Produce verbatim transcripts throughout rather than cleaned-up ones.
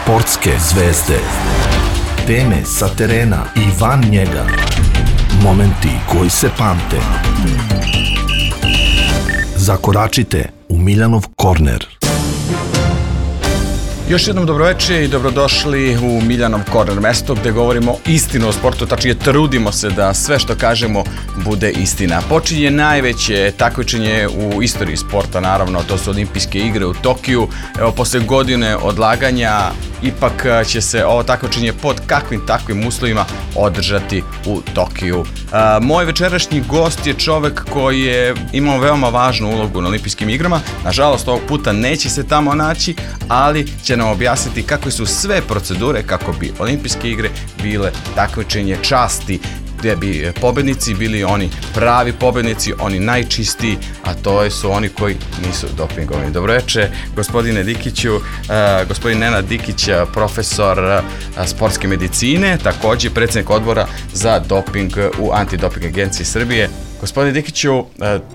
Sportske zvezde. Teme sa terena i van njega. Momenti koji se pamte. Zakoračite u Miljanov korner. Još jednom dobroveče i dobrodošli u Miljanov korner, mesto gde govorimo istinu o sportu, tačnije trudimo se da sve što kažemo bude istina. Počinje najveće takmičenje u istoriji sporta, naravno, to su olimpijske igre u Tokiju. Evo, posle godine odlaganja, ipak će se ovo takmičenje pod kakvim takvim uslovima održati u Tokiju. A, moj večerašnji gost je čovek koji je imao veoma važnu ulogu na olimpijskim igrama. Nažalost, ovog puta neće se tamo naći, ali će nam objasniti kakve su sve procedure kako bi olimpijske igre bile takmičenje časti, gdje bi pobednici bili oni pravi pobednici, oni najčistiji, a to su oni koji nisu dopingovani. Dobroveče, gospodine Dikiću, uh, gospodin Nenad Dikić, profesor uh, sportske medicine, također predsjednik odbora za doping u Antidoping agenciji Srbije. Gospodine Dikiću,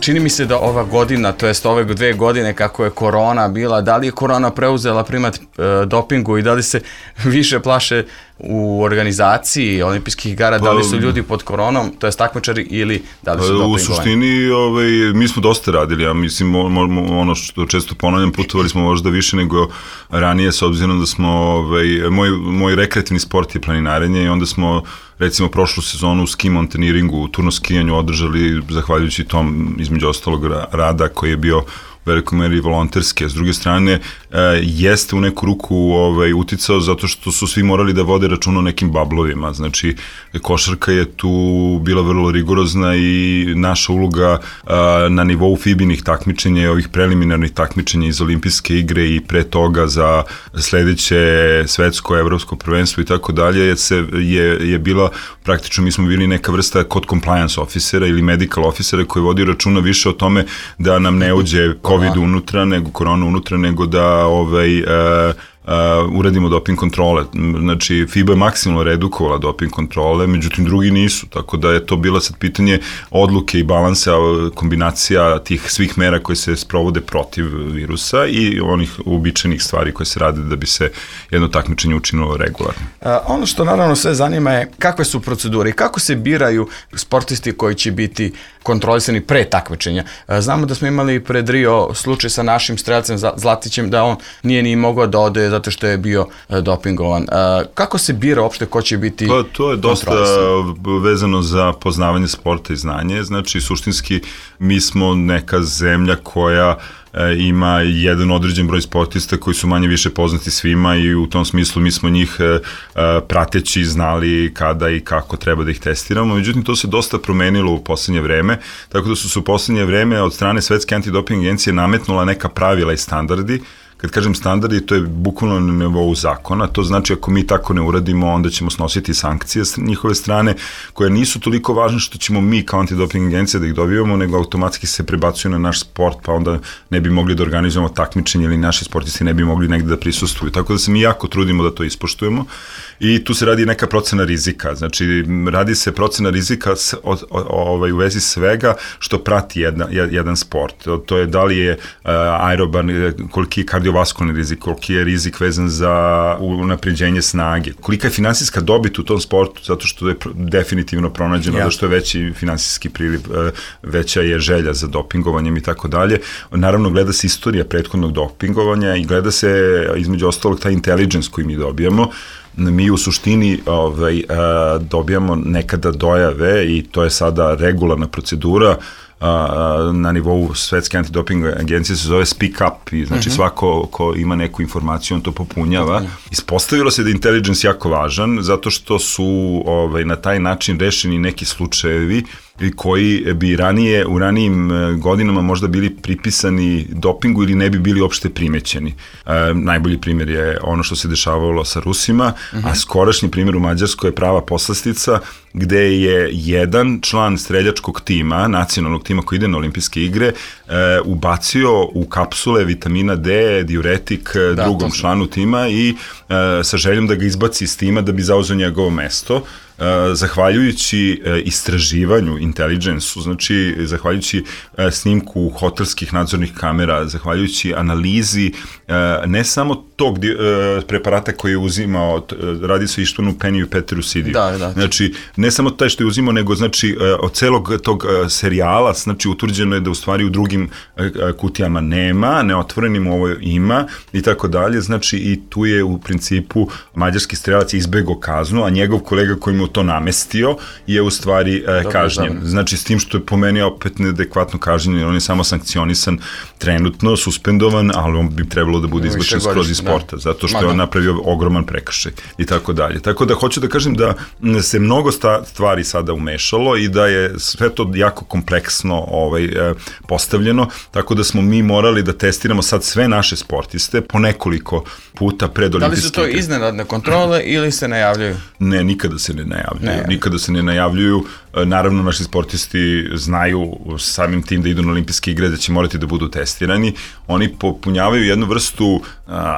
čini mi se da ova godina, to jest ove dve godine kako je korona bila, da li je korona preuzela primat e, dopingu i da li se više plaše u organizaciji olimpijskih igara, pa, da li su ljudi pod koronom, to jest takmičari, ili da li su dopingovani? U suštini, ovaj, mi smo dosta radili, ja mislim, ono što često ponavljam, putovali smo možda više nego ranije, s obzirom da smo, ovaj, moj, moj rekreativni sport je planinarenje i onda smo recimo prošlu sezonu u ski montaniringu, u turno skijanju održali, zahvaljujući tom, između ostalog, rada koji je bio u velikoj meri volonterske. S druge strane, e, jeste u neku ruku ovaj, uticao zato što su svi morali da vode račun o nekim bablovima. Znači, košarka je tu bila vrlo rigorozna i naša uloga a, na nivou fibinih takmičenja i ovih preliminarnih takmičenja iz olimpijske igre i pre toga za sledeće svetsko, evropsko prvenstvo i tako dalje je, je bila praktično, mi smo bili neka vrsta kod compliance officera ili medical officera koji vodi računa više o tome da nam ne uđe COVID unutra, nego korona unutra, nego da ovaj, uh, Uh, uradimo doping kontrole. Znači, FIBA je maksimalno redukovala doping kontrole, međutim drugi nisu, tako da je to bila sad pitanje odluke i balansa, kombinacija tih svih mera koje se sprovode protiv virusa i onih uobičajenih stvari koje se rade da bi se jedno takmičenje učinilo regularno. Uh, ono što naravno sve zanima je kakve su procedure i kako se biraju sportisti koji će biti kontrolisani pre takmičenja. Uh, znamo da smo imali pred Rio slučaj sa našim strelcem Zlatićem da on nije ni mogao da ode zato što je bio uh, dopingovan. Uh, kako se bira uopšte ko će biti to, to je dosta vezano za poznavanje sporta i znanje. Znači, suštinski, mi smo neka zemlja koja e, ima jedan određen broj sportista koji su manje više poznati svima i u tom smislu mi smo njih e, prateći znali kada i kako treba da ih testiramo. Međutim, to se dosta promenilo u poslednje vreme, tako da su se u poslednje vreme od strane Svetske antidoping agencije nametnula neka pravila i standardi. Kad kažem standardi, to je bukvalno na nivou zakona, to znači ako mi tako ne uradimo, onda ćemo snositi sankcije s njihove strane, koje nisu toliko važne što ćemo mi kao antidoping agencija da ih dobivamo, nego automatski se prebacuju na naš sport, pa onda ne bi mogli da organizujemo takmičenje ili naši sportisti ne bi mogli negde da prisustvuju. Tako da se mi jako trudimo da to ispoštujemo i tu se radi neka procena rizika. Znači, radi se procena rizika s, o, o, ovaj, u vezi svega što prati jedna, jedan sport. To je da li je uh, aeroban, koliki je kardiovaskularni rizik, koliki je rizik vezan za unapređenje snage, kolika je finansijska dobit u tom sportu, zato što je definitivno pronađeno ja. da što je veći finansijski priliv, veća je želja za dopingovanjem i tako dalje. Naravno, gleda se istorija prethodnog dopingovanja i gleda se, između ostalog, taj intelligence koji mi dobijamo. Mi u suštini ovaj, dobijamo nekada dojave i to je sada regularna procedura na nivou Svetske antidoping agencije, se zove speak up i znači uh-huh. svako ko ima neku informaciju on to popunjava. Uh-huh. Ispostavilo se da je intelligence jako važan zato što su ovaj, na taj način rešeni neki slučajevi koji bi ranije, u ranijim godinama možda bili pripisani dopingu ili ne bi bili uopšte primećeni. E, najbolji primjer je ono što se dešavalo sa Rusima, uh-huh. a skorašnji primjer u Mađarskoj je prava poslastica gde je jedan član streljačkog tima, nacionalnog tima koji ide na olimpijske igre, e, ubacio u kapsule vitamina D, diuretik da, drugom članu tima i e, sa željom da ga izbaci iz tima da bi zauzeo njegovo mesto. Zahvaljujući istraživanju, inteligensu, znači zahvaljujući snimku hotelskih nadzornih kamera, zahvaljujući analizi ne samo tog preparata koji je uzimao, radi se o Ištvanu Peniju i Peteru Sidiju. Da, da. Znači, ne samo taj što je uzimao, nego znači od celog tog serijala, znači utvrđeno je da u stvari u drugim kutijama nema, neotvorenim ovo ima i tako dalje, znači i tu je u principu mađarski strelac izbegao kaznu, a njegov kolega koji mu to namestio je u stvari kažnjen. Znači, s tim što je po meni opet neadekvatno kažnjen, on je samo sankcionisan trenutno, suspendovan, ali on bi trebalo da bude izbačen skroz iz sporta, zato što je on napravio ogroman prekršaj i tako dalje. Tako da hoću da kažem da se mnogo stvari sada umešalo i da je sve to jako kompleksno ovaj, postavljeno, tako da smo mi morali da testiramo sad sve naše sportiste po nekoliko puta pred olimpijske igre. Da li su to iznenadne kontrole ili se najavljuju? Ne, nikada se ne najavljuju. Ne. Nikada se ne najavljuju. Naravno, naši sportisti znaju samim tim da idu na olimpijske igre, da će morati da budu testirani. Oni popunjavaju jednu vrstu,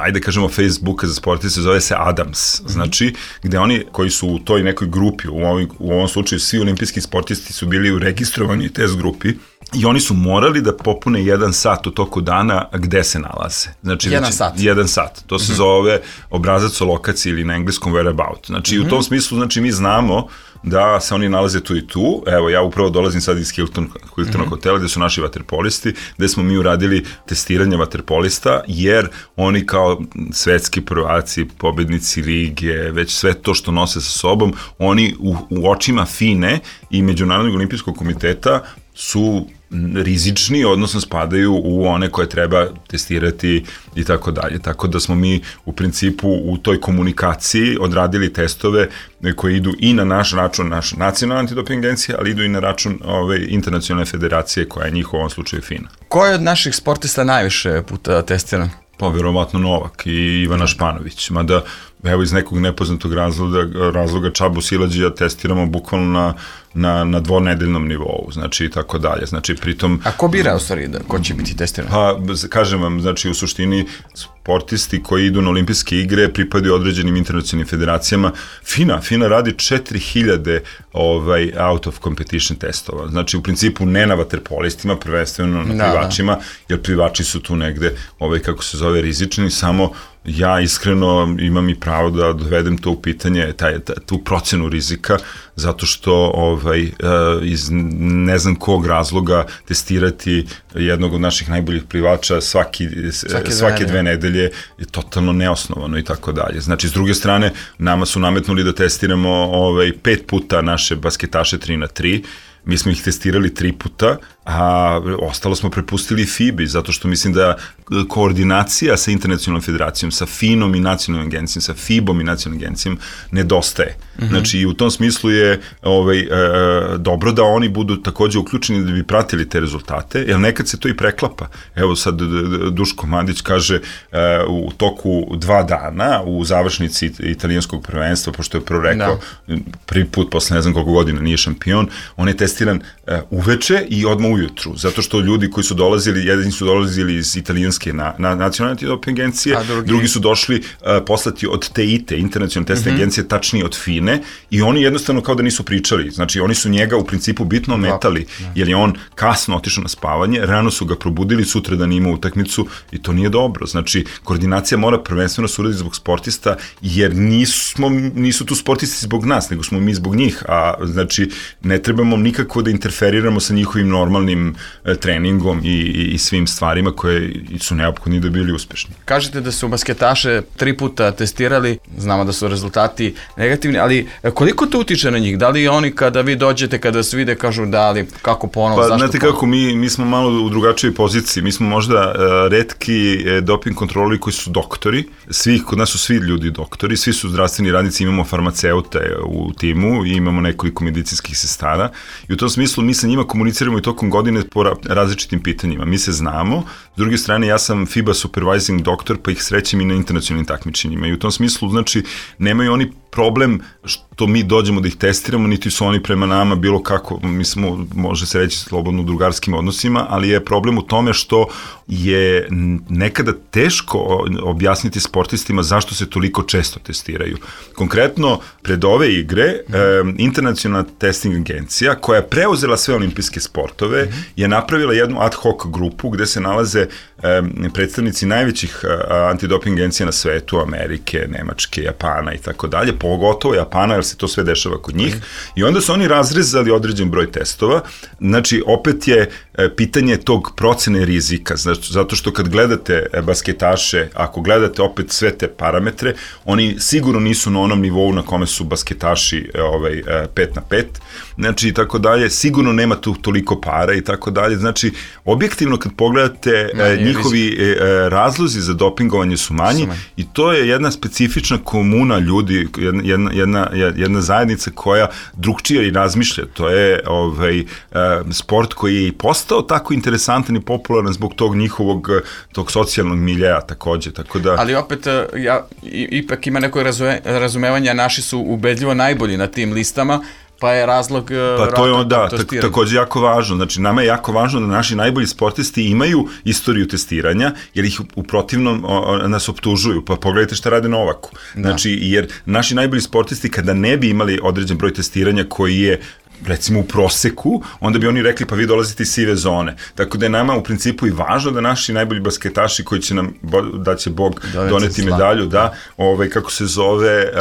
ajde kažemo, Facebooka za sportiste, zove se Adams. Znači, gde oni koji su u toj nekoj grupi, u ovom, u ovom slučaju svi olimpijski sportisti su bili u registrovanoj test grupi, i oni su morali da popune jedan sat u toku dana gde se nalaze. Znači, jedan sat? Jedan sat. To se mm-hmm. zove obrazac o lokaciji ili na engleskom whereabout. Znači, mm-hmm. u tom smislu, znači, mi znamo da se oni nalaze tu i tu. Evo, ja upravo dolazim sad iz Hilton, Hiltona mm-hmm. hotela gde su naši vaterpolisti, gde smo mi uradili testiranje vaterpolista, jer oni kao svetski prvaci, pobednici lige, već sve to što nose sa sobom, oni u, u očima F I N E i Međunarodnog olimpijskog komiteta su rizični, odnosno spadaju u one koje treba testirati i tako dalje. Tako da smo mi u principu u toj komunikaciji odradili testove koje idu i na naš račun, naš nacionalna antidoping agencija, ali idu i na račun ove internacionalne federacije koja je njih u ovom slučaju F I N A. Ko je od naših sportista najviše puta testiran? Pa verovatno Novak i Ivana Španović, mada evo iz nekog nepoznatog razloga, razloga Čabu Silađija testiramo bukvalno na, na, na dvonedeljnom nivou, znači i tako dalje, znači pritom... A ko bira u stvari da, ko će biti testiran? Pa, kažem vam, znači u suštini sportisti koji idu na olimpijske igre pripadaju određenim internacionalnim federacijama. F I N A, F I N A radi četiri hiljade ovaj, out of competition testova, znači u principu ne na vaterpolistima, prvenstveno na da, plivačima, da. Jer plivači su tu negde, ovaj, kako se zove, rizični, samo ja iskreno imam i pravo da dovedem to u pitanje, taj, tu procenu rizika, zato što ovaj, iz ne znam kog razloga testirati jednog od naših najboljih plivača svaki, svake, svake dve nedelje je totalno neosnovano i tako dalje. Znači, s druge strane, nama su nametnuli da testiramo ovaj, pet puta naše basketaše tri na tri, mi smo ih testirali tri puta, a ostalo smo prepustili F I B I, zato što mislim da koordinacija sa internacionalnom federacijom, sa F I N-om i nacionalnom agencijom, sa F I B-om i nacionalnom agencijom nedostaje. Mm-hmm. Znači, i u tom smislu je ovaj, e, dobro da oni budu takođe uključeni da bi pratili te rezultate, jer nekad se to i preklapa. Evo sad Duško Mandić kaže e, u toku dva dana u završnici italijanskog prvenstva, pošto je prvo rekao da. prvi put posle ne znam koliko godina nije šampion, on je testiran e, uveče i odmah ujutru, zato što ljudi koji su dolazili, jedni su dolazili iz italijanske na, na nacionalne antidoping agencije, drugi... drugi su došli uh, poslati od T I T, internacionalne testne mm-hmm. agencije, tačnije od F I N E, i oni jednostavno kao da nisu pričali, znači oni su njega u principu bitno ometali, jer je on kasno otišao na spavanje, rano su ga probudili, sutra da nima utakmicu i to nije dobro, znači koordinacija mora prvenstveno se uraditi zbog sportista, jer nismo, nisu tu sportisti zbog nas, nego smo mi zbog njih, a znači ne trebamo nikako da interferiramo sa njihovim normalnim treningom i, i, i svim stvarima koje su neophodni da bili uspešni. Kažete da su basketaše tri puta testirali, znamo da su rezultati negativni, ali koliko to utiče na njih? Da li oni kada vi dođete, kada se vide, kažu da li, kako ponovo, pa, zašto? Znate ponovo? Kako, mi, mi smo malo u drugačijoj poziciji, mi smo možda uh, retki uh, doping kontroli koji su doktori, svi, kod nas su svi ljudi doktori, svi su zdravstveni radnici, imamo farmaceute u timu i imamo nekoliko medicinskih sestara i u tom smislu mi sa njima komuniciramo i tokom godine po različitim pitanjima. Mi se znamo, s druge strane ja sam F I B A supervising doktor, pa ih srećem i na internacionalnim takmičenjima i u tom smislu, znači, nemaju oni problem što mi dođemo da ih testiramo, niti su oni prema nama bilo kako, mi smo, može se reći, slobodno u drugarskim odnosima, ali je problem u tome što je nekada teško objasniti sportistima zašto se toliko često testiraju. Konkretno, pred ove igre, mm. e, Internacionalna testing agencija, koja je preuzela sve olimpijske sportove, mm. je napravila jednu ad hoc grupu gde se nalaze e, predstavnici najvećih e, antidoping agencija na svetu, Amerike, Nemačke, Japana i tako dalje, pogotovo Japana, jer se to sve dešava kod njih. Mm. I onda su oni razrezali određen broj testova. Znači, opet je e, pitanje tog procene rizika, znači, zato što kad gledate basketaše, ako gledate opet sve te parametre, oni sigurno nisu na onom nivou na kome su basketaši ovaj, pet na pet, znači i tako dalje, sigurno nema tu toliko para i tako dalje, znači objektivno kad pogledate Manje, njihovi rizik. razlozi za dopingovanje su manji su manji i to je jedna specifična komuna ljudi, jedna, jedna, jedna zajednica koja drugčije i razmišlja, to je ovaj, sport koji je i postao tako interesantan i popularan zbog tog njihovog tog socijalnog miljeja takođe, tako da... Ali opet, ja, ipak ima neko razume, razumevanja, naši su ubedljivo najbolji na tim listama, pa je razlog... Pa to je onda, tak, takođe jako važno, znači nama je jako važno da naši najbolji sportisti imaju istoriju testiranja, jer ih u protivnom o, nas optužuju, pa pogledajte šta rade Novaku. Znači, da. Jer naši najbolji sportisti kada ne bi imali određen broj testiranja koji je recimo u proseku, onda bi oni rekli pa vi dolazite iz sive zone. Tako da je nama u principu i važno da naši najbolji basketaši koji će nam, da će Bog Doveci doneti medalju, da, ovaj, kako se zove,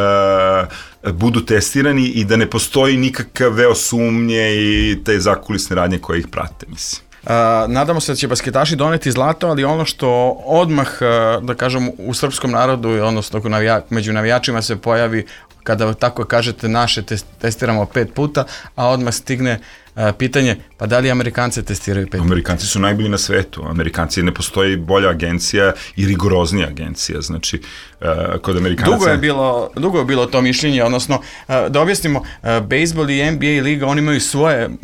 uh, budu testirani i da ne postoji nikakav veo sumnje i te zakulisne radnje koje ih prate, mislim. Uh, nadamo se da će basketaši doneti zlato, ali ono što odmah, uh, da kažem, u srpskom narodu, odnosno navija, među navijačima se pojavi kada tako kažete naše test, testiramo pet puta, a odmah stigne uh, pitanje, pa da li Amerikanci testiraju pet puta? Amerikanci su najbolji na svetu. Amerikanci, ne postoji bolja agencija i rigoroznija agencija. Znači, uh, kod Amerikanca... Dugo je bilo, dugo je bilo to mišljenje, odnosno, uh, da objasnimo, uh, bejsbol i N B A liga, oni imaju svoje, uh,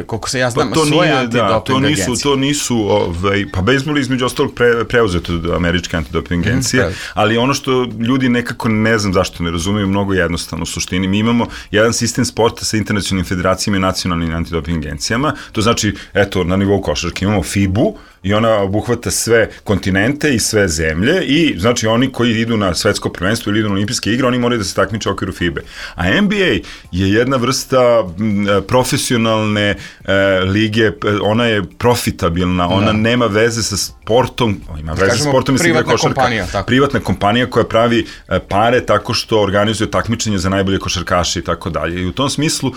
koliko se ja znam, pa svoje nije, antidoping da, to nisu, agencije. To nisu, ovaj, pa bejsbol je između ostalog pre, preuzeto od američke antidoping agencije, mm, ali ono što ljudi nekako ne znam zašto ne razumeju, mnogo jednostavno u suštini. Mi imamo jedan sistem sporta sa internacionalnim federacijama i nacionalnim antidoping agencijama, to znači, eto, na nivou košarke imamo F I B U i ona obuhvata sve kontinente i sve zemlje i znači oni koji idu na svetsko prvenstvo ili idu na olimpijske igre, oni moraju da se takmiče u okviru F I B E. A N B A je jedna vrsta profesionalne e, lige, ona je profitabilna, ona da. nema veze sa sportom, ima veze sa sportom, mislim da je košarka. Kompanija, tako. Privatna kompanija koja pravi e, pare tako što organizuje takmičenje za najbolje košarkaše i tako dalje. I u tom smislu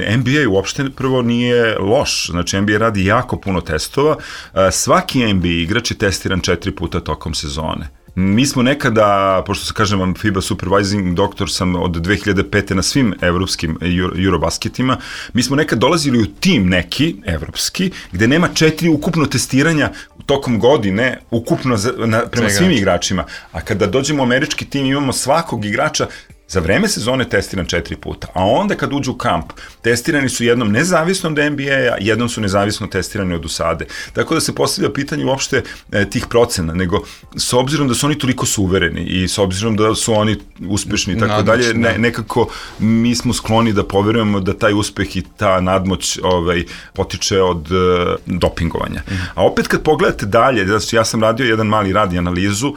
N B A uopšte prvo nije loš, znači N B A radi jako puno testova, e, svaki N B A igrač je testiran četiri puta tokom sezone. Mi smo nekada, pošto se kažem vam F I B A supervising doktor sam od dve hiljade pete na svim evropskim Eurobasketima, mi smo nekad dolazili u tim neki, evropski, gde nema četiri ukupno testiranja tokom godine, ukupno za, na, prema svim igračima. A kada dođemo u američki tim imamo svakog igrača za vreme sezone testiran četiri puta, a onda kad uđu u kamp, testirani su jednom nezavisnom od N B A-a, jednom su nezavisno testirani od U S A D E. Tako da se postavlja pitanje uopšte e, tih procena, nego s obzirom da su oni toliko suvereni i s obzirom da su oni uspešni i tako dalje, ne, nekako mi smo skloni da poverujemo da taj uspeh i ta nadmoć ovaj, potiče od e, dopingovanja. Mm. A opet kad pogledate dalje, znači ja sam radio jedan mali rad i analizu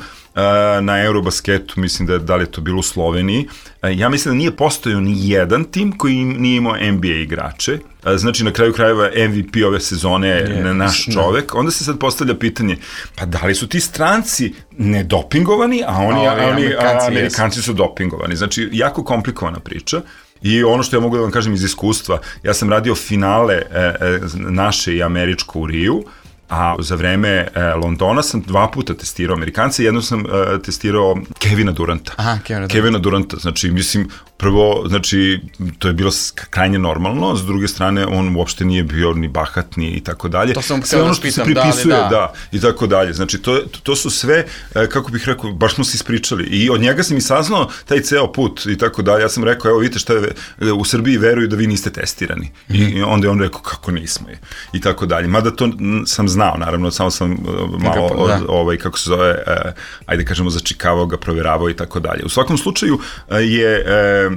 na Eurobasketu, mislim da, da li je to bilo u Sloveniji. Ja mislim da nije postojao ni jedan tim koji nije imao N B A igrače. Znači, na kraju krajeva M V P ove sezone je naš čovek. Onda se sad postavlja pitanje, pa da li su ti stranci nedopingovani, a oni, a, a, oni, Amerikanci, a Amerikanci su dopingovani. Znači, jako komplikovana priča. I ono što ja mogu da vam kažem iz iskustva, ja sam radio finale e, e, naše i američko u Riju, a za vreme e, Londona sam dva puta testirao Amerikanca, jednom sam e, testirao Kevina Duranta. Aha, Kevina Duranta. Kevina Duranta, znači, mislim, prvo, znači, to je bilo krajnje normalno, s druge strane, on uopšte nije bio ni bahat, ni i tako dalje. To sam sve ono što pitam, se pripisuje, da, da. da, i tako dalje. Znači, to, to, to su sve, e, kako bih rekao, baš smo se ispričali. I od njega sam i saznao taj ceo put i tako dalje. Ja sam rekao, evo, vidite šta je, u Srbiji veruju da vi niste testirani. Mm -hmm. I, I onda je on rekao, kako nismo je. I tako dalje. Mada to sam znao, naravno, samo sam uh, malo, od, ovaj, kako se zove, uh, ajde kažemo, začikavao ga, proveravao i tako dalje. U svakom slučaju uh, je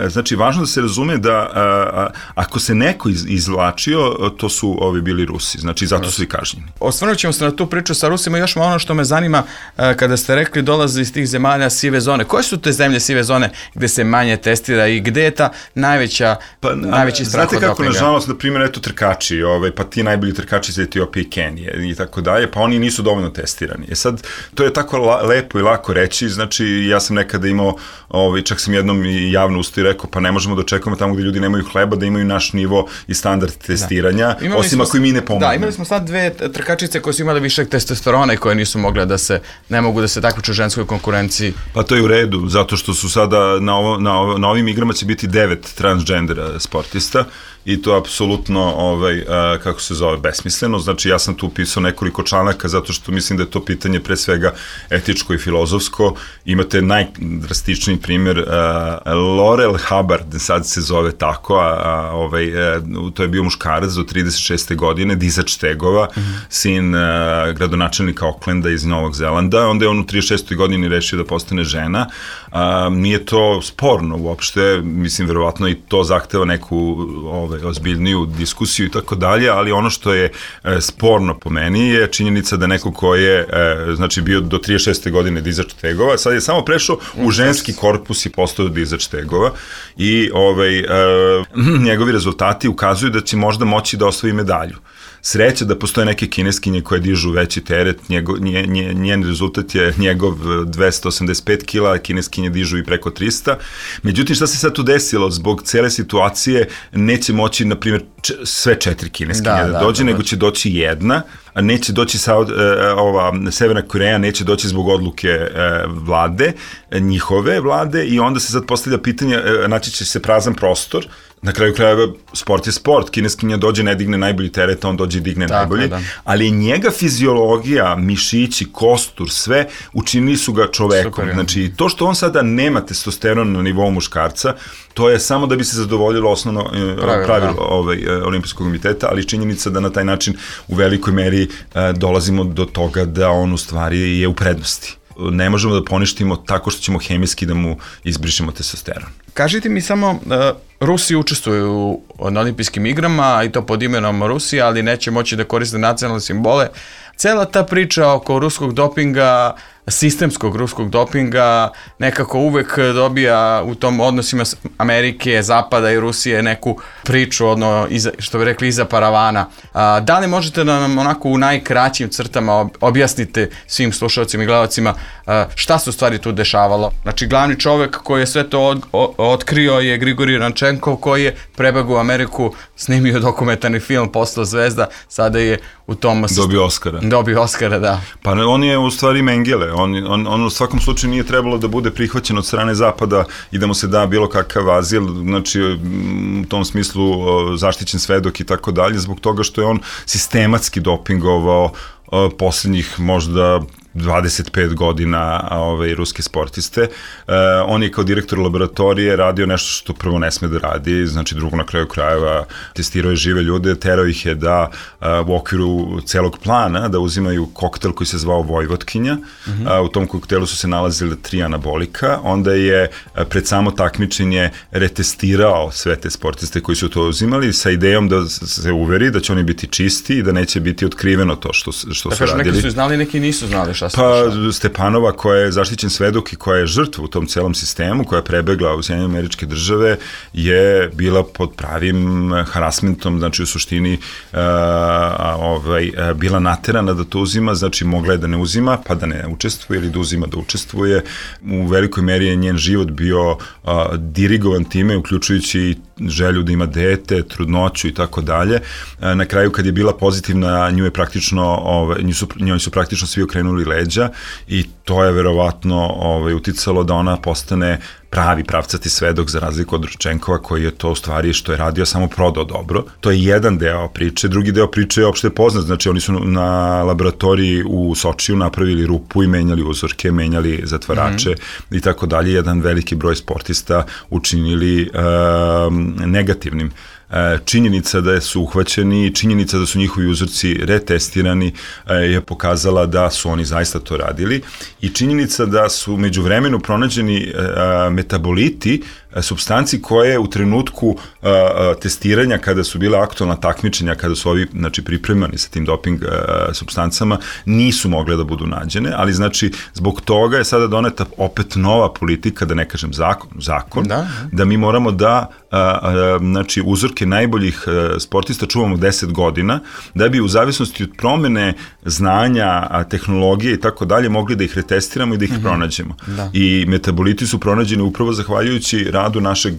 znači važno da se razume da a, ako se neko iz, izvlačio, to su ovi bili Rusi, znači zato su i kažnjeni. Osvrnut ćemo se na tu priču sa Rusima, još ono što me zanima kada ste rekli dolaze iz tih zemalja sive zone. Koje su te zemlje sive zone gde se manje testira i gde je ta najveća, pa, najveći strah od dopinga? Znate kako, nažalost, na primjer, eto trkači, ovaj, pa ti najbolji trkači iz Etiopije i Kenije i tako dalje, pa oni nisu dovoljno testirani. E sad, to je tako la, lepo i lako reći, znači ja sam nekada imao, ovaj, čak sam jednom i javno usto i rekao, pa ne možemo da očekujemo tamo gde ljudi nemaju hleba, da imaju naš nivo i standard testiranja, da. Osim smo, ako i mi ne pomognemo. Da, imali smo sad dve trkačice koje su imale višeg testosterona i koje nisu mogle da se, ne mogu da se takmiče u ženskoj konkurenciji. Pa to je u redu, zato što su sada na, ovo, na, ovo, na ovim igrama će biti devet transgendera sportista i to je apsolutno, ovaj, a, kako se zove, besmisleno. Znači ja sam tu pisao nekoliko članaka zato što mislim da je to pitanje pre svega etičko i filozofsko. Imate najdrastičniji primjer, a, Laurel Hubbard, sad se zove tako, a, a, ovaj, a, to je bio muškarac do trideset šeste godine, dizač tegova, mm-hmm. sin a, gradonačelnika Aucklanda iz Novog Zelanda, onda je on u trideset šestoj godini rešio da postane žena. A, nije to sporno uopšte, mislim, verovatno i to zahteva neku ovaj, ozbiljniju diskusiju i tako dalje, ali ono što je e, sporno po meni je činjenica da neko ko je e, znači bio do trideset šeste godine dizač tegova, sad je samo prešao u ženski korpus i postao dizač tegova i ovaj, e, njegovi rezultati ukazuju da će možda moći da osvoji medalju. Sreća da postoje neke kineskinje koje dižu veći teret, njego, nje, nje, njen rezultat je njegov dvesta osamdeset pet kila, a kineskinje dižu i preko trista. Međutim, šta se sad tu desilo? Zbog cele situacije neće moći, na primjer, č- sve četiri kineskinje da, da, da dođe, da, nego će doći jedna, a neće doći Saud, e, ova, Severna Koreja neće doći zbog odluke e, vlade, njihove vlade, i onda se sad postavlja pitanje, e, naći će se prazan prostor. Na kraju krajeva, sport je sport, kineskinja dođe, ne digne najbolji teret, on dođe i digne tako, najbolji, da. Ali njega fiziologija, mišići, kostur, sve, učinili su ga čovekom. Super, znači, to što on sada nema testosteron na nivou muškarca, to je samo da bi se zadovoljilo osnovno pravilo, pravilo ovaj, olimpijskog komiteta, ali činjenica da na taj način u velikoj meri dolazimo do toga da on u stvari je u prednosti. Ne možemo da poništimo tako što ćemo hemijski da mu izbrišemo testosteron. Kažite mi samo, uh, Rusi učestvuju na olimpijskim igrama i to pod imenom Rusija, ali neće moći da koriste nacionalne simbole. Cela ta priča oko ruskog dopinga, sistemskog ruskog dopinga, nekako uvek dobija u tom odnosima Amerike, Zapada i Rusije neku priču, odno, iza, što bi rekli, iza paravana. A, da li možete da nam onako u najkraćim crtama objasnite svim slušalcima i gledalcima a, šta se u stvari tu dešavalo? Znači, glavni čovek koji je sve to od, o, otkrio je Grigorij Rančenkov, koji je prebegao u Ameriku, snimio dokumentarni film, postao zvezda, sada je u tom... Dobio Oskara. Dobio Oskara, da. Pa on je u stvari Mengele. On, on, on u svakom slučaju nije trebalo da bude prihvaćen od strane Zapada i da mu se da bilo kakav azil, znači u tom smislu zaštićen svedok i tako dalje, zbog toga što je on sistematski dopingovao poslednjih možda dvadeset pet godina ove, ruske sportiste. E, on je kao direktor laboratorije radio nešto što prvo ne sme da radi, znači drugo na kraju krajeva testirao je žive ljude, terao ih je da a, u okviru celog plana da uzimaju koktel koji se zvao Vojvotkinja. Mm-hmm. A, u tom koktelu su se nalazile tri anabolika, onda je a, pred samo takmičenje retestirao sve te sportiste koji su to uzimali sa idejom da se uveri da će oni biti čisti i da neće biti otkriveno to što, što da su radili. Neki su znali, neki nisu znali. Pa Stepanova, koja je zaštićen svedok i koja je žrtva u tom celom sistemu, koja je prebegla u Sjedinjene Američke Države, je bila pod pravim harasmentom, znači u suštini uh, ovaj, bila naterana da to uzima, znači mogla je da ne uzima, pa da ne učestvuje, ili da uzima da učestvuje. U velikoj meri je njen život bio uh, dirigovan time, uključujući želju da ima dete, trudnoću i tako dalje. Na kraju, kad je bila pozitivna, nju je praktično, ovaj, nju su, njoj su praktično svi okrenuli leđa i to je verovatno ovaj, uticalo da ona postane pravi pravcati svedok za razliku od Rančenkova, koji je to u stvari što je radio samo prodao dobro. To je jedan deo priče. Drugi deo priče je opšte poznat. Znači oni su na laboratoriji u Sočiju napravili rupu i menjali uzorke, menjali zatvarače mm-hmm. i tako dalje. Jedan veliki broj sportista učinili um, negativnim. činjenica da su uhvaćeni, činjenica da su njihovi uzorci retestirani je pokazala da su oni zaista to radili i činjenica da su međuvremenu pronađeni metaboliti supstanci koje u trenutku a, a, testiranja, kada su bila aktualna takmičenja, kada su ovi, znači, pripremani sa tim doping a, supstancama, nisu mogle da budu nađene, ali znači zbog toga je sada doneta opet nova politika, da ne kažem zakon, zakon da, da mi moramo da a, a, znači uzorke najboljih a, sportista čuvamo deset godina, da bi u zavisnosti od promene znanja, a, tehnologije i tako dalje mogli da ih retestiramo i da ih mm-hmm. pronađemo. Da. I metaboliti su pronađeni upravo zahvaljujući radu našeg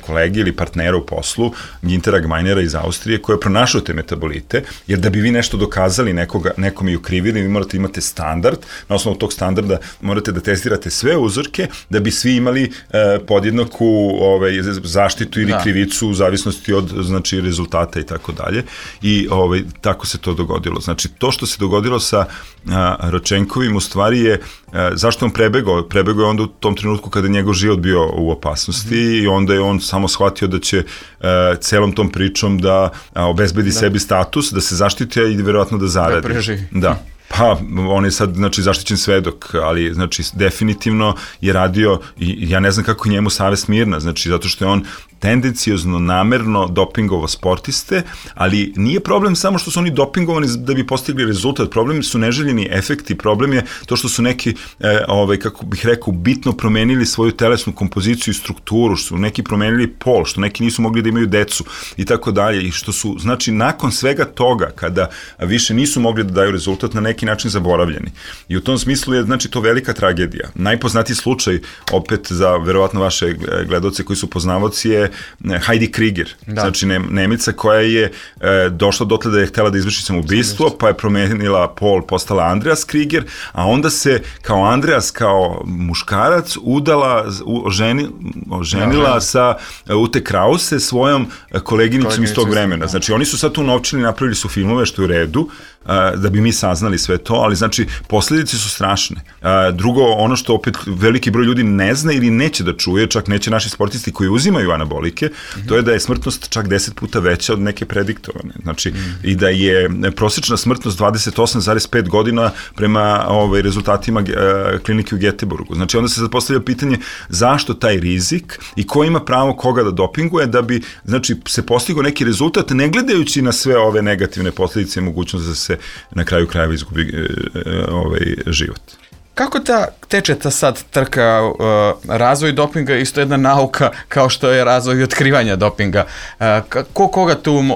kolege ili partnera u poslu, Gintera Gmajnera iz Austrije, koji je pronašao te metabolite, jer da bi vi nešto dokazali nekoga, nekom i ukrivili, vi morate imate standard, na osnovu tog standarda morate da testirate sve uzorke, da bi svi imali eh, podjednaku ovaj, zaštitu ili da. krivicu u zavisnosti od, znači, rezultata i tako dalje. I ovaj, tako se to dogodilo. Znači, to što se dogodilo sa a, Ročenkovim u stvari je, a, zašto on prebegao? Prebegao je onda u tom trenutku kada je njegov život bio u opasnosti mm-hmm. i onda je on samo shvatio da će a, celom tom pričom da a, obezbedi da. sebi status, da se zaštiti i verovatno da zaradi. Da preživi. Da. Pa, on je sad, znači, zaštićen svedok, ali, znači, definitivno je radio, i ja ne znam kako njemu savest mirna, znači, zato što je on tendencijozno, namerno dopingovo sportiste, ali nije problem samo što su oni dopingovani da bi postigli rezultat, problem su neželjeni efekti, problem je to što su neki, e, ovaj, kako bih rekao, bitno promenili svoju telesnu kompoziciju i strukturu, što su neki promenili pol, što neki nisu mogli da imaju decu i tako dalje, i što su, znači, nakon svega toga, kada više nisu mogli da daju rezultat, na neki način zaboravljeni. I u tom smislu je, znači, to velika tragedija. Najpoznatiji slučaj, opet za verovatno vaše gledaoce koji su poznavaoci, je Heidi Krieger, da. znači ne, Nemica koja je e, došla dotle da je htela da izvrši samoubistvo, pa je promenila pol, postala Andreas Krieger, a onda se kao Andreas, kao muškarac, udala, u, ženi, oženila da, sa Ute Krause, svojom koleginicom iz tog vremena. Da. Znači, oni su sad tu novčili, napravili su filmove, što je u redu, a, da bi mi saznali sve to, ali znači, posledice su strašne. A, drugo, ono što opet veliki broj ljudi ne zna ili neće da čuje, čak neće naši sportisti koji uzimaju anabolike, mm-hmm. to je da je smrtnost čak deset puta veća od neke prediktovane. Znači, mm-hmm. i da je prosječna smrtnost dvadeset osam zarez pet godina prema ovaj, rezultatima uh, klinike u Göteborgu. Znači, onda se sad postavlja pitanje zašto taj rizik i ko ima pravo koga da dopinguje, da bi, znači, se postigao neki rezultat, ne gledajući na sve ove negativne posljedice i mogućnost da se na kraju krajeva izgubi uh, ovaj život. Kako ta teče ta sad trka, uh, razvoj dopinga, isto jedna nauka kao što je razvoj otkrivanja dopinga. Uh, ko koga tu uh,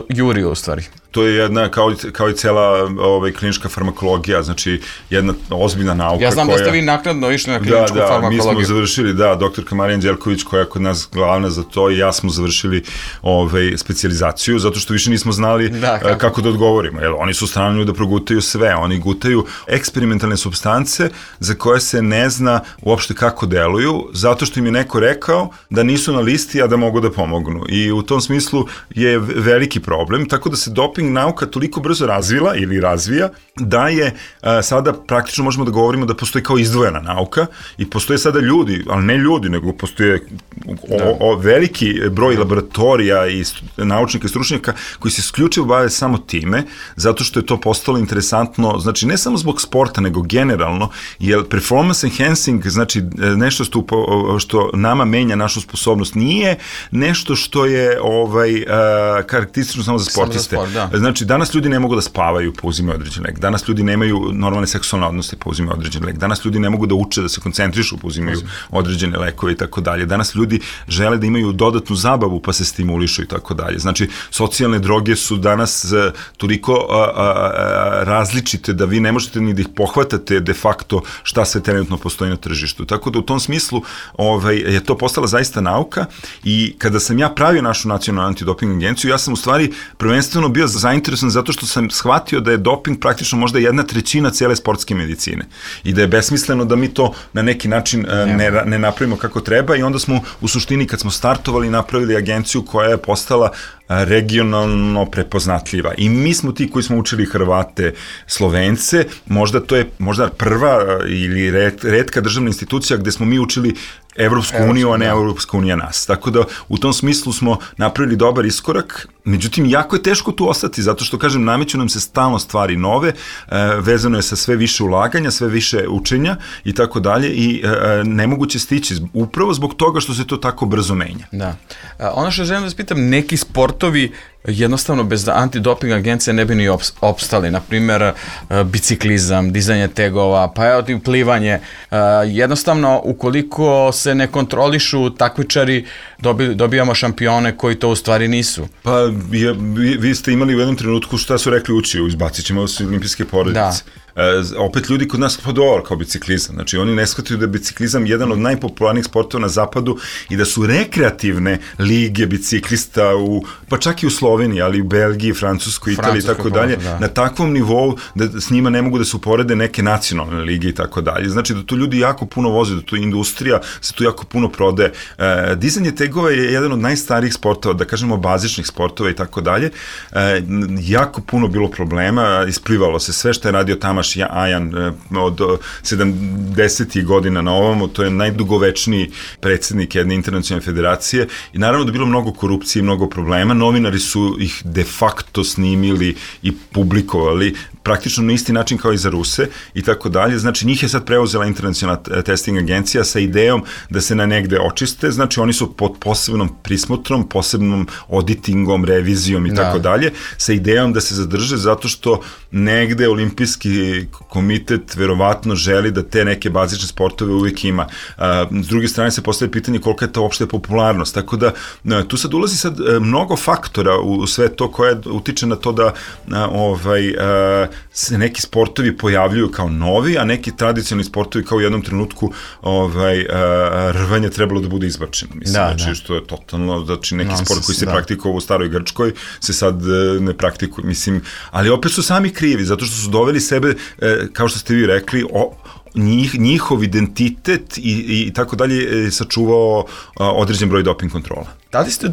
juri u stvari? To je jedna, kao, kao i cela ovaj, klinička farmakologija, znači jedna ozbiljna nauka. Ja znam koja... da ste vi naknadno išli na kliničku da, da, farmakologiju. Da, mi smo završili, da, doktorka Marija Anđelković, koja je kod nas glavna za to, i ja smo završili ovaj, specijalizaciju, zato što više nismo znali da, kako. kako da odgovorimo. Jer oni su strani da progutaju sve, oni gutaju eksperimentalne supstance za koje se ne zna uopšte kako deluju, zato što im je neko rekao da nisu na listi, a da mogu da pomognu. I u tom smislu je veliki problem, tako da se doping nauka toliko brzo razvila ili razvija da je a, sada praktično možemo da govorimo da postoji kao izdvojena nauka i postoje sada ljudi, ali ne ljudi, nego postoje o, o, veliki broj laboratorija i naučnika i stručnjaka koji se isključivo bave samo time, zato što je to postalo interesantno, znači ne samo zbog sporta, nego generalno, jer performance enhancing, znači nešto što, što nama menja našu sposobnost, nije nešto što je ovaj, a, karakteristično samo za sportiste. Samo za sport, da. Znači, danas ljudi ne mogu da spavaju pa uzimaju određen lek. Danas ljudi nemaju normalne seksualne odnose pa uzimaju određen lek. Danas ljudi ne mogu da uče, da se koncentrišu pa uzimaju određene lekove i tako dalje. Danas ljudi žele da imaju dodatnu zabavu pa se stimulišu i tako dalje. Znači, socijalne droge su danas toliko a, a, a, različite da vi ne možete ni da ih pohvatate de facto šta sve trenutno postoji na tržištu. Tako da u tom smislu ovaj, je to postala zaista nauka i kada sam ja pravio našu nacionalnu antidoping agenciju, ja sam u stvari prvenstveno bio zainteresovan zato što sam shvatio da je doping praktično možda jedna trećina cele sportske medicine i da je besmisleno da mi to na neki način ne, ne napravimo kako treba i onda smo u suštini kad smo startovali napravili agenciju koja je postala regionalno prepoznatljiva i mi smo ti koji smo učili Hrvate, Slovence, možda to je možda prva ili red, redka državna institucija gde smo mi učili Evropsku uniju, a ne Evropska unija nas. Tako da u tom smislu smo napravili dobar iskorak, međutim jako je teško tu ostati, zato što kažem nameću nam se stalno stvari nove, vezano je sa sve više ulaganja, sve više učenja i tako dalje i nemoguće stići upravo zbog toga što se to tako brzo menja. Da. Ono što želim da spitam, neki sportovi jednostavno bez antidoping agencije ne bi ni opstali, na primjer biciklizam, dizanje tegova, pa evo tim plivanje, jednostavno ukoliko se ne kontrolišu takmičari, dobi, dobijamo šampione koji to u stvari nisu. Pa je, vi, vi ste imali u jednom trenutku šta su rekli uči, izbacit ćemo se olimpijske porodice. Da. E, opet ljudi kod nas pa dobro kao biciklizam, znači oni ne shvataju da je biciklizam jedan od najpopularnijih sportova na zapadu i da su rekreativne lige biciklista u, pa čak i u Sloveniji, ali i u Belgiji, Francuskoj, Italiji i tako dalje, na takvom nivou da s njima ne mogu da se uporede neke nacionalne lige i tako dalje. Znači da tu ljudi jako puno voze, da tu industrija se tu jako puno prode. E, dizanje tegova je jedan od najstarijih sportova, da kažemo bazičnih sportova i tako dalje. E, jako puno bilo problema, isplivalo se sve što je radio Tamaš Ajan od sedamdesetih godina na ovamo, to je najdugovečniji predsjednik jedne internacionalne federacije i naravno da je bilo mnogo korupcije i mnogo problema, novinari su ih de facto snimili i publikovali praktično na isti način kao i za Ruse i tako dalje, znači njih je sad preuzela internacionalna testing agencija sa idejom da se na negde očiste, znači oni su pod posebnom prismotrom, posebnom auditingom, revizijom i tako dalje, sa idejom da se zadrže zato što negde olimpijski komitet verovatno želi da te neke bazične sportove uvijek ima. S druge strane se postavlja pitanje kolika je to uopšte popularnost, tako da tu sad ulazi sad mnogo faktora u sve to koje utiče na to da ovaj, se neki sportovi pojavljuju kao novi, a neki tradicionalni sportovi kao u jednom trenutku ovaj, rvanje trebalo da bude izbačeno. Mislim, da, znači, da. Što je totalno, znači neki no, sport koji se da. praktikovao u staroj Grčkoj se sad ne praktikuje, mislim, ali opet su sami krivi, zato što su doveli sebe, kao što ste vi rekli, o, njih, njihov identitet i, i tako dalje sačuvao određen broj doping kontrola. Da li ste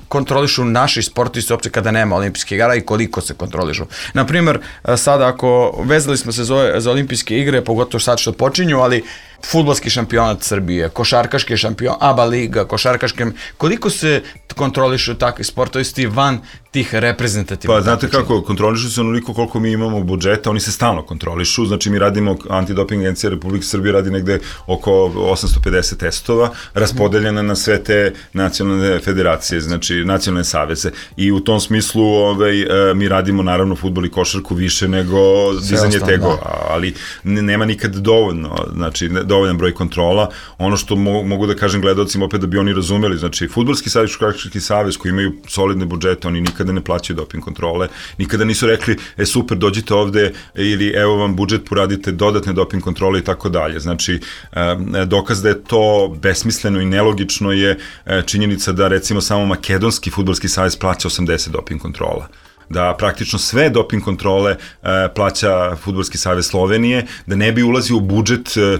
kontrolišu naši sportisti uopće kada nema olimpijskih igara i koliko se kontrolišu? Naprimjer, sada ako vezali smo se za, za olimpijske igre, pogotovo sad što počinju, ali fudbalski šampionat Srbije, košarkaški šampion, ABA liga, košarkaške, koliko se kontrolišu takvi sportovisti van tih reprezentativnih? Pa znate kako, kontrolišu se onoliko koliko mi imamo budžeta, oni se stalno kontrolišu, znači mi radimo, antidoping agencija Republike Srbije radi negde oko osamsto pedeset testova, raspodeljena na sve te nacionalne federacije, znači nacionalne saveze i u tom smislu ovaj, mi radimo naravno fudbal i košarku više nego dizanje tegova, ali nema nikad dovoljno, znači dovoljan broj kontrola. Ono što mo mogu da kažem gledalcima opet da bi oni razumeli, znači fudbalski savez, košarkaški savez koji imaju solidne budžete, oni nikada ne plaćaju doping kontrole, nikada nisu rekli, e super, dođite ovde ili evo vam budžet, poradite dodatne doping kontrole i tako dalje. Znači, dokaz da je to besmisleno i nelogično je činjenica da recimo samo makedonski fudbalski savez plaća osamdeset doping kontrola. Da praktično sve doping kontrole e, plaća Fudbalski savez Slovenije, da ne bi ulazio u budžet e,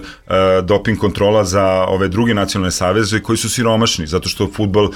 doping kontrola za ove druge nacionalne saveze koji su siromašni, zato što fudbal,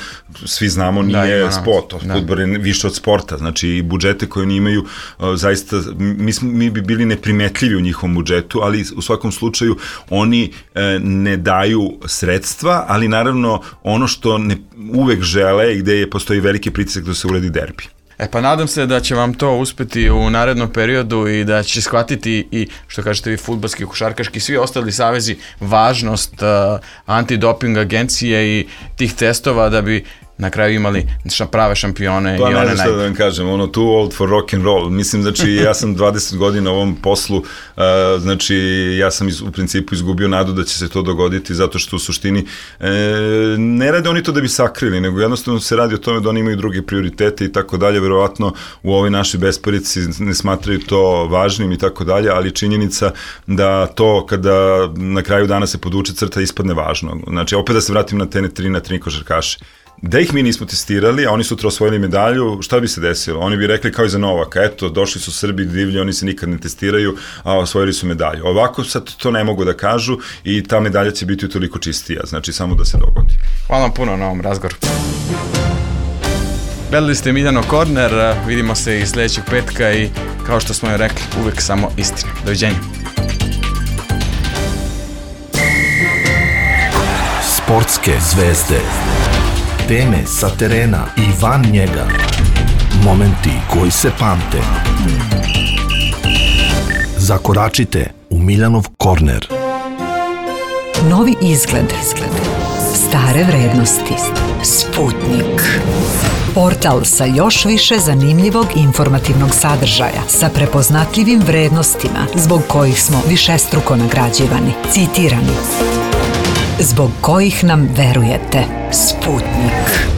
svi znamo, nije da, sport, fudbal je više od sporta, znači budžete koje oni imaju, e, zaista, mi, smo, mi bi bili neprimetljivi u njihovom budžetu, ali u svakom slučaju oni e, ne daju sredstva, ali naravno ono što ne uvek žele i gde je, postoji veliki pritisak da se uredi derbi. E pa nadam se da će vam to uspeti u narednom periodu i da će shvatiti i, što kažete vi, fudbalski, košarkaški, svi ostali savezi, važnost uh, antidoping agencije i tih testova da bi na kraju imali prave šampione. Pa i ne one znam šta da vam kažem, ono too old for rock and roll, mislim, znači ja sam dvadeset godina u ovom poslu, uh, znači ja sam iz, u principu izgubio nadu da će se to dogoditi, zato što u suštini e, ne rade oni to da bi sakrili, nego jednostavno se radi o tome da oni imaju druge prioritete i tako dalje, verovatno u ovoj našoj besparici ne smatraju to važnim i tako dalje, ali činjenica da to kada na kraju dana se podvuče crta ispadne važno, znači opet da se vratim na te tri na tri košarkaše. Da ih mi nismo testirali, a oni sutra osvojili medalju, šta bi se desilo? Oni bi rekli kao i za Novaka, eto, došli su Srbi divlji, oni se nikad ne testiraju, a osvojili su medalju. Ovako sad to ne mogu da kažu i ta medalja će biti utoliko čistija, znači samo da se dogodi. Hvala vam puno na ovom razgovoru. Gledali ste Miljanov Korner, vidimo se i sledećeg petka i kao što smo joj rekli, uvek samo istina. Doviđenja. Sportske zvezde. Teme sa terena i van njega. Momenti koji se pamte. Zakoračite u Miljanov korner. Novi izgled. Stare vrednosti. Sputnik. Portal sa još više zanimljivog i informativnog sadržaja, sa prepoznatljivim vrednostima zbog kojih smo višestruko nagrađivani, citirani, zbog kojih nam verujete. Sputnik.